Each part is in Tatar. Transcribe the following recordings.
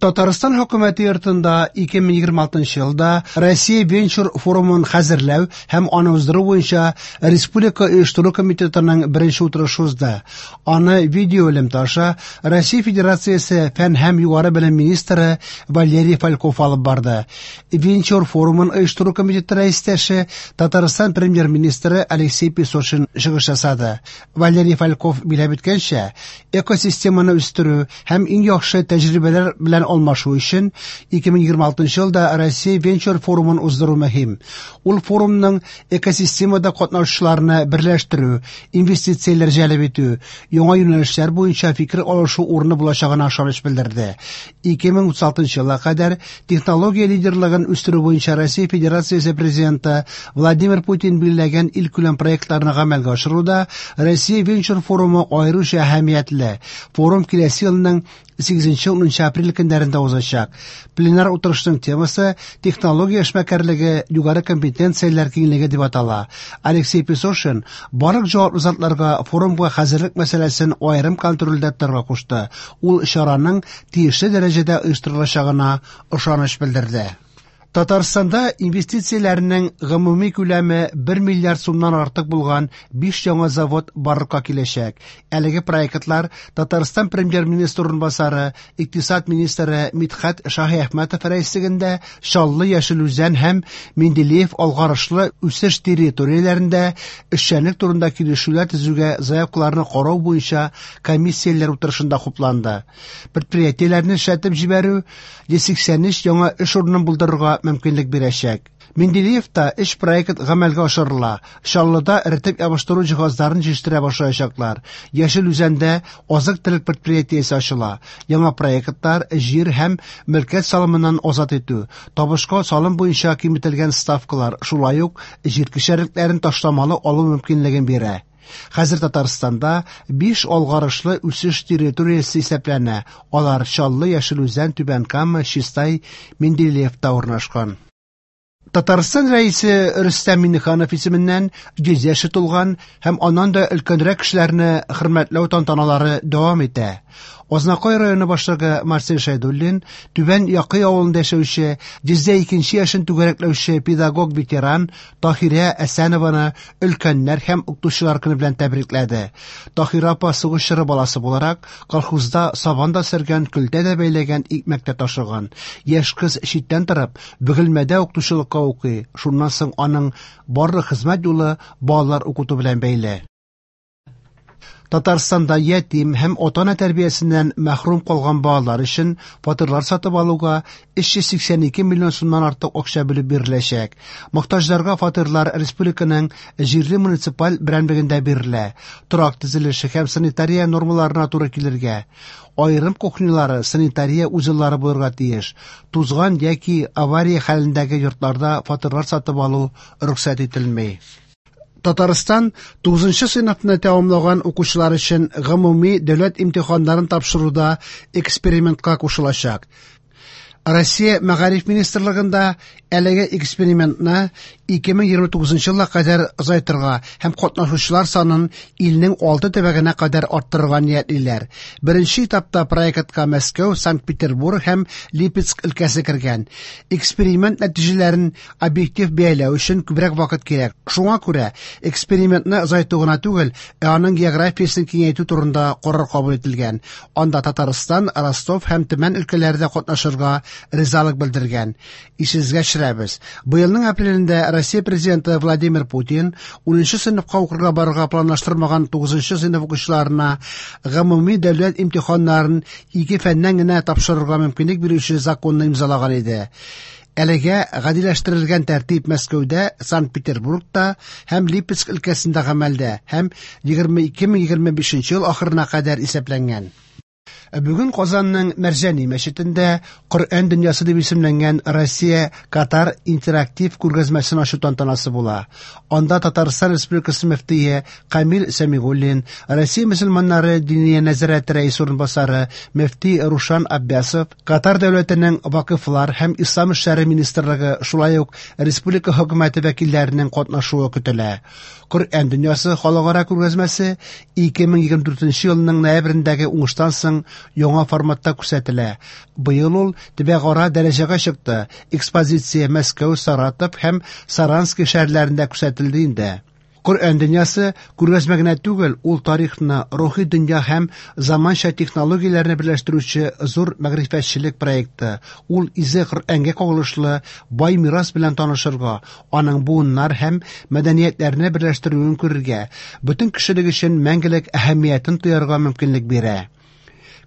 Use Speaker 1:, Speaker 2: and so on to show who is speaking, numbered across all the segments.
Speaker 1: Татарстан хөкүмәте йортында 2026 елда Россия венчур форумын хәзерләү һәм аны уздыру буенча Республика оештыру комитетының беренче утырышы узды. Аны видеоэлемтә аша Россия Федерациясе фән һәм югары белем министры Валерий Фальков алып барды. Венчур форумын оештыру комитеты рәистәше Татарстан премьер-министры Алексей Песошин чыгыш ясады. Валерий Фальков биләп үткәнчә, экосистеманы үстерү һәм иң яхшы тәҗрибәләр белән алмашу өчен 2026 елда Россия венчур форумын уздыру мөһим. Ул форумның экосистемада катнашучыларны берләштерү, инвестицияләр җәлеп итү, яңа юнәлешләр буенча фикер алышу урыны булачагына ышаныч белдерде. 2036 елга кадәр технология лидерлыгын үстерү буенча Россия Федерациясе Президенты Владимир Путин билгеләгән илкүләм проектларны гамәлгә ашыруда Россия венчур форумы аеруча әһәмиятле. Форум киләсе елның 8-10 апрель көннәрендә узачак. Пленар утырышның темасы технология эшмәкәрлеге югары компетенцияләр киңлеге дип атала. Алексей Песошин барлык җаваплы затларга форумга хәзерлек мәсьәләсен аерым контрольдә тотарга кушты. Ул чараның тиешле дәрәҗәдә оештырылачагына ышаныч белдерде. Татарстанда инвестицияләрнең гомуми күләме 1 миллиард сумнан артык булган 5 яңа завод барлыкка киләчәк. Әлеге проектлар Татарстан премьер-министры урынбасары, икътисад министры Мидхәт Шаһиәхмәтов рәислегендә Чаллы, Яшел Үзән һәм Менделеев алгарышлы үсеш территорияләрендә эшчәнлек турында килешүләр төзүгә заявкаларны карау буенча комиссияләр утырышында хупланды. Предприятиеләрне эшләтеп җибәрү 183 яңа эш урынын булдырырга мөмкинлек бирәчәк. Менделеевта өч проект гамәлгә ашырыла. Чаллыда эретеп ябыштыру җиһазларын җитештерә башлаячаклар. Яшел Үзәндә азык-төлек предприятиесе ачыла. Яңа проектлар җир һәм мөлкәт салымыннан азат итү, табышка салым буенча киметелгән ставкалар, шулай ук җир кишәрлекләрен ташламалы алу мөмкинлеген бирә. Хәзер Татарстанда 5 алгарышлы үсеш территориясе исәпләнә. Алар Чаллы, Яшел Үзән, Түбән Кама, Чистай, Менделеевта урнашкан. Татарстан рәисе Рөстәм Миңнеханов исеменнән 100 яше тулган һәм аннан да өлкәнрәк кешеләрне хөрмәтләү тантаналары дәвам итә. Азнакай районы башлыгы Марсель Шәйдуллин Түбән Якый авылында яшәүче 102 яшен түгәрәкләүче педагог-ветеран Таһирә Әсәнованы өлкәннәр һәм укытучылар көне белән тәбрикләде. Таһирә апа сугыш чоры баласы буларак, колхозда сабан да сөргән, көлтә дә бәйләгән, икмәк тә ташыган. Яшь кыз читтән торып, Бөгелмәдә укытучылыкка укый. Шуннан соң аның барлык хезмәт юлы балалар укыту белән бәйле. Татарстанда ятим һәм ата-ана тәрбиясеннән мәхрүм калган балалар өчен фатирлар сатып алуга 382 миллион сумнан артык акча бүлеп биреләчәк. Мохтаҗларга фатирлар республиканың җирле муниципаль берәмлегендә бирелә. Торак төзелеше һәм санитария нормаларына туры килергә, аерым кухнялары, санитария узеллары булырга тиеш. Тузган яки авария хәлендәге йортларда фатирлар сатып алу рөхсәт ителми. Татарстан 9 сыйныфны тәмамлаган укучылар өчен гомуми дәүләт имтиханнарын тапшыруда экспериментка кушылачак. Россия Мәгариф министрлыгында әлеге экспериментны 2029 елга кадәр озайтырга һәм катнашучылар санын илнең 6 төбәгенә кадәр арттырырга ниятлиләр. Беренче этапта проектка Мәскәү, Санкт-Петербург һәм Липецк өлкәсе кергән. Эксперимент нәтиҗәләрен объектив бәяләү өчен күбрәк вакыт кирәк. Шуңа күрә экспериментны озайту гына түгел, ә аның географиясен киңәйтү турында карар кабул ителгән. Анда Татарстан, Ростов һәм Төмән өлкәләре дә катнашырга ризалык белдергән. Исегезгә төшерәбез. Быелның апрелендә Россия президенты Владимир Путин 10 сыйныфка укырга барырга планлаштырмаган 9 сыйныф укучыларына гомуми дәүләт имтиханнарын ике фәннән генә тапшырырга мөмкинлек бирүче законны имзалаган иде. Әлегә гадиләштерелгән тәртип Мәскәүдә, Санкт-Петербургта һәм Липецк өлкәсендә гамәлдә һәм 2025 ел ахырына кадәр исәпләнгән. Бүген Казанның Мәрҗани мәчетендә Коръән дөньясы дип исемләнгән Россия Катар интерактив күргәзмәсен ачу тантанасы була. Анда Татарстан Республикасы мөфтие Камил Сәмигуллин, Россия мөселманнары Диния нәзарәте рәисе урынбасары мөфти Рушан Аббясов, Катар дәүләтенең Вакыфлар һәм ислам эшләре министрлыгы, шулай ук республика хөкүмәте вәкилләренең катнашуы көтелә. Коръән дөньясы халыкара күргәзмәсе 2024 елның ноябрендәге уңыштан соң яңа форматта күрсәтелә. Быел ул төбәкара дәрәҗәгә чыкты. Экспозиция Мәскәү, Саратов һәм Саранский шәһәрләрендә күрсәтелде инде. Коръән дөньясы күргәзмә генә түгел, ул тарихны, рухи дөнья һәм заманча технологияләрне берләштерүче зур мәгърифәтчелек проекты. Ул изге Коръәнгә кагылышлы бай мирас белән танышырга, аның буыннар һәм мәдәниятләрне берләштерүен күрергә, бөтен кешелек өчен мәңгелек әһәмиятен тоярга мөмкинлек бирә.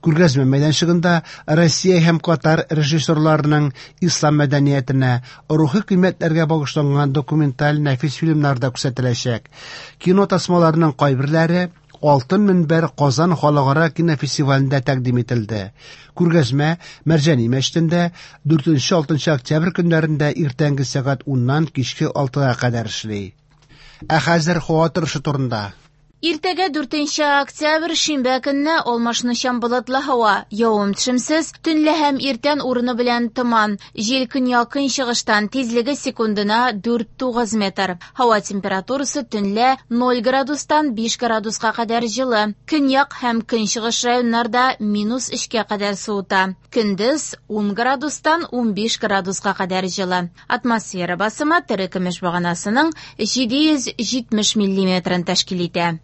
Speaker 1: Күргәзмә мәйданчыгында Россия һәм Катар режиссерларының ислам мәдәниятенә, рухи кыйммәтләргә багышланган документаль нәфис фильмнар да күрсәтеләчәк. Кино тасмаларының кайберләре Алтын мөнбәр Казан халыкара кинофестивалендә тәкъдим ителде. Күргәзмә Мәрҗани мәчетендә 4-6 октябрь көннәрендә иртәнге сәгать 10-нан кичке 6-га кадәр эшли. Ә хәзер һава торышы турында.
Speaker 2: Иртәгә 4 октябрь шимбә көнне алмашынучан болытлы һава, явым-төшемсез, төнлә һәм иртән урыны белән томан. Җил көньяк-көнчыгыштан, тизлеге секундына 4-9 метр. Һава температурасы төнлә 0 градустан 5 градуска кадәр җылы. Көньяк һәм көнчыгыш районнарда минус 3кә кадәр суыта. Көндез 10 градустан 15 градуска кадәр җылы. Атмосфера басымы терекөмеш баганасының 770 миллиметрын тәшкил итә.